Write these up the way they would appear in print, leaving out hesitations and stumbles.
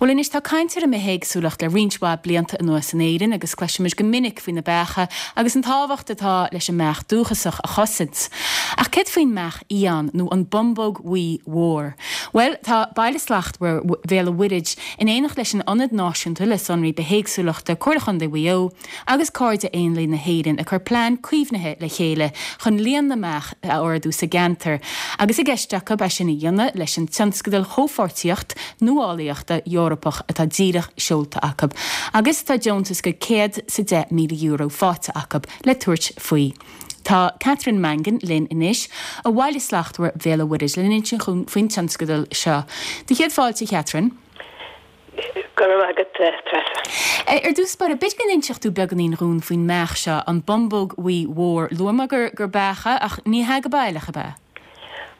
Bhuel anois tá caint ar an mbithéagsúlacht le roinnt mhaith blianta anuas in Éirinn agus cloisimid go minic faoi na beacha agus an tábhacht atá leis an mbeach dúchasach a chosaint. Ach céard faoin mbeach fhiáin nó an bumbóg bhuí mhór? Bhuel tá Baile Slachtmhar Bhéal an Mhuirthead in éineacht leis an Ionad Náisiúnta le Sonraí Bithéagsúlachta, Comhairle Chontae Mhaigh Eo, agus Cairde Éanlaith na hÉireann ag cur plean caomhnaithe le chéile chun líon na mbeach a ardú sa gceantar, agus i gceist acu é sin a dhéanamh leis an tionscadal Chomhpháirtíocht Nuálaíochta Eorpach atá díreach seolta acu, agus tá deontas de €110,000 faighte acu le tabhairt faoi. Tá Catherine Mangan linn anois ó Bhaile Slachtmhar Bhéal an Mhuirthead le n-insint dhúinn faoin tionscadal seo. Do chéad fáilte, a Chatherine. Go raibh maith agat, Treasa. Ar dtús báire, b'fhéidir go n-inseodh tú beagáinín dhúinn faoin mbeach seo, an bumbóg bhuí mhór. Luaigh mé gur gur beach é, ach ní hea go baileach, ab ea?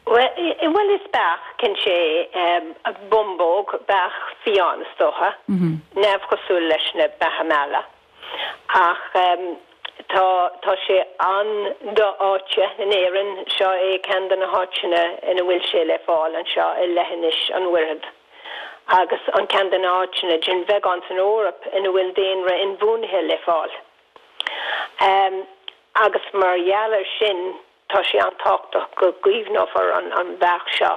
Bhuel, is beach, cinnte é. Bumbóg, beach fiáin, is dócha. Neamhchosúil leis na beacha meala. Ach tá, tá sé an-do-fhaighte in Éirinn. Seo é ceann de na háiteanna ina bhfuil sé le fáil anseo i Leithinis an Mhuirthead. agus an ceann de na háiteanna den bheagán san Eoraip ina bhfuil daonra inbhuanaithe le fáil. Agus mar gheall air sin, tá sé an-tábhachtach go gcaomhnófar an bheach seo.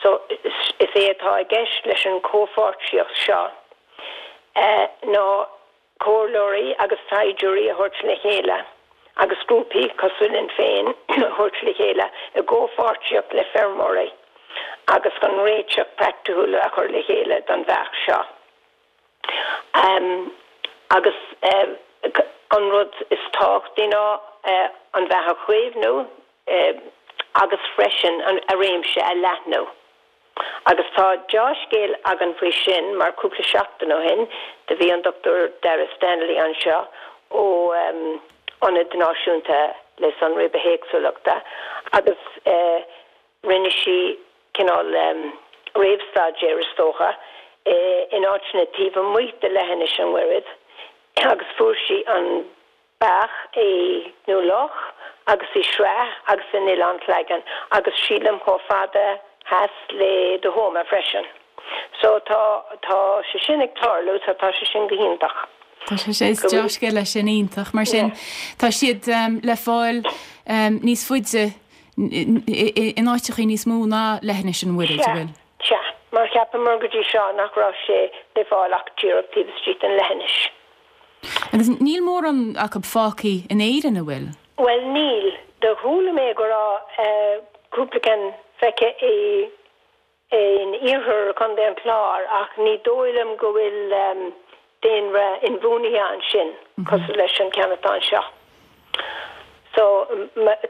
So, is é atá i gceist leis an chomhpháirtíocht seo ná comhairleoirí agus taighdeoirí a thabhairt le chéile agus grúpaí cosúil linn féin a thabhairt le chéile i gcomhpháirtíocht le feirmeoirí agus chun réiteach praiticiúil a chur le chéile don bheach seo. Agus an rud is tábhachtaí ná an bheach a chaomhnú agus freisin a réimse a leathnú. Agus tá deá-scéal againn faoi sin mar cúpla seachtain ó shin do bhí an Dr Dara Stanley anseo ó Ionad Náisiúnta le Sonraí Bithéagsúlachta agus rinne sí cineál réamhstaidéir is dócha in áiteanna taobh amuigh de Leithinis an Mhuirthead agus fuair sí an beach i nDún Lúiche agus i Sraith agus in Oileán Shleagan agus sílim chomh fada theas le Tuama freisin. So tá, tá sé sin ag tarlú so tá sé sin go hiontach. Tá sé sin, is dea-scéal é sin, iontach. Mar sin, tá siad le fáil níos faide in áiteachaí níos mó ná Leithinis an Mhuirthead, an bhfuil? Sea, sea. Mar cheapamar go dtí seo nach raibh sé le fáil ach díreach taobh istigh den leithinis. Agus níl mórán acu fágthaí in Éirinn, an bhfuil? Bhuel, níl. Do chuala mé go raibh cúpla ceann feicthe i in iarthar Chontae an Chláir ach ní dóigh liom go bhfuil daonra inbhuanaithe ansin cosúil leis an ceann atá anseo. So,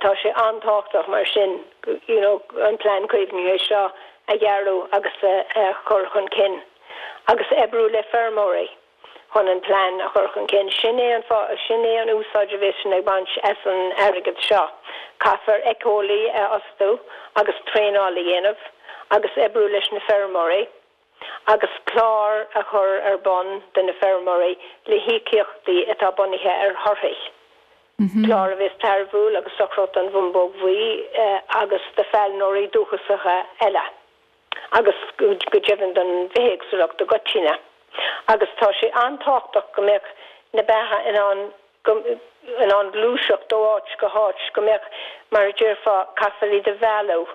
tá sé an-tábhachtach mar sin you know an plean caomhnaithe seo a dhearadh agus a chur chun cinn agus oibriú le feirmeoirí. chun an plean a chur chun cinn. Sin é an fáth, sin é an úsáid a bheas sinn ag baint as an airgead seo. Caithfear éiceolaí a fhostú agus traenáil a dhéanamh agus oibriú leis na feirmeoirí agus clár a chur ar bun do na feirmeoirí le híocaíochtaí atá bunaithe ar thorthaí. Clár a bheas tairbhiúil agus dochrach don bhumbóg bhuí agus do phailneoirí dúchasacha eile. agus go deimhin don bhithéagsúlacht i gcoitinne. Agus tá sé an-tábhachtach go mbeadh na beacha in ann in ann gluaiseacht ó áit go háit, go mbeadh, mar a déarfá, caithfear iad a mhealladh.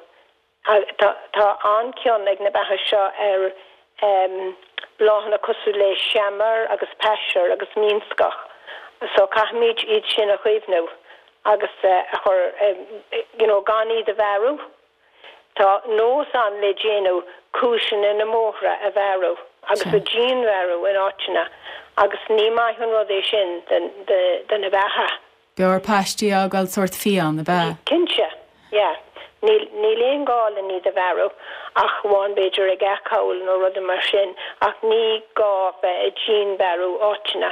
Tá tá an-chion ag na beacha seo ar bláthanna cosúil le seamair agus paisear agus mínscoth so caithfimid iad sin a chaomhnú agus a chur you know gan iad a mharú. Tá nós ann le déanaí cuaiseanna na mbóithre a bhearradh agus a dhianbhearradh in áiteanna agus ní maith an rud é sin do na beacha. B'fhearr paistí a fhágáil sórt fiáin, ab ea? Cinnte, yeah. Níl, níl aon gá len iad a bhearradh ach amháin b'fhéidir ag acomhail nó rudaí mar sin ach ní gá bheith ag dianbhearradh áiteanna.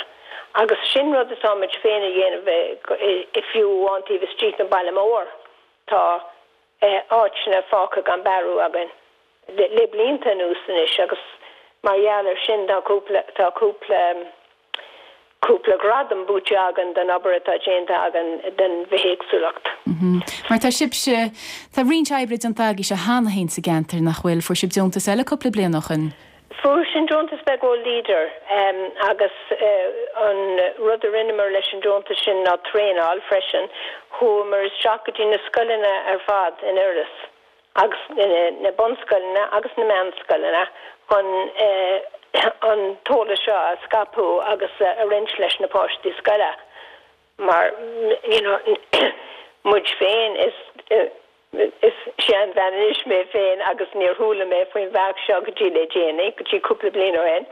Agus sin rud atáimid féin a dhéanamh i fiú amháin taobh istigh den baile mór. Tá áiteanna fágtha gan bearradh againn le blianta anuas anois agus mar gheall air sin tá cúpla, tá cúpla, cúpla gradam buaite againn don obair atá déanta againn don bhithéagsúlacht. Mar tá sibhse, tá roinnt oibre déanta agaibhse cheana féin sa gceantar, nach bhfuil? Fuair sibh deontas eile cúpla bliain ó shin. Fuair sinn deontas beag ó Leader agus an rud a rinneamar leis an deontas sin ná traenáil freisin. Chuamar isteach go dtí na scoileanna ar fad in Iorras agus na bunscoileanna agus na meánscoileanna chun an t-eolas seo a scaipeadh agus a roinnt leis na páistí scoile mar you know muid féin is Is seanbhean anois mé féin agus níor chuala mé faoin bheach seo go dtí le déanaí, go dtí cúpla bliain ó shin,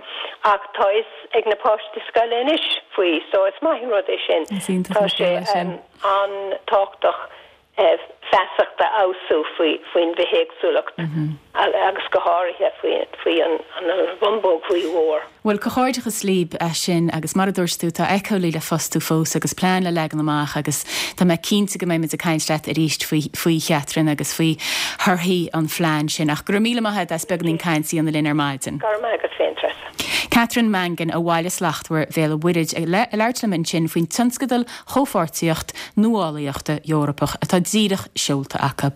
ach tá fhios ag na páistí scoile anois faoi so is maith an rud é sin. Is iontach Tá an sé scéal é sin. an-tábhachtach feasacht a fheabhsú faoi faoin bhithéagsúlacht agus go háirithe faoi faoi an bhumbóg bhuí mhór. Bhuel, comhghairdeachas libh as sin agus mar a dúirt tú, tá éiceolaí le fostú fós agus plean le leagan amach agus tá mé cinnte go mbeidh muid ag caint leat arís faoi, faoi Chatherine agus faoi thorthaí an phlean sin. Ach go raibh míle maith agat as beagáinín caint a dhéanamh linn ar maidin. Go raibh maith agat féin, Treasa. Catherine Mangan ó Bhaile Slachtmhar Bhéal an Mhuirthead ag labhairt liom ansin faoin tionscadal Chomhpháirtíocht Nuálaíochta Eorpach atá díreach seolta acu.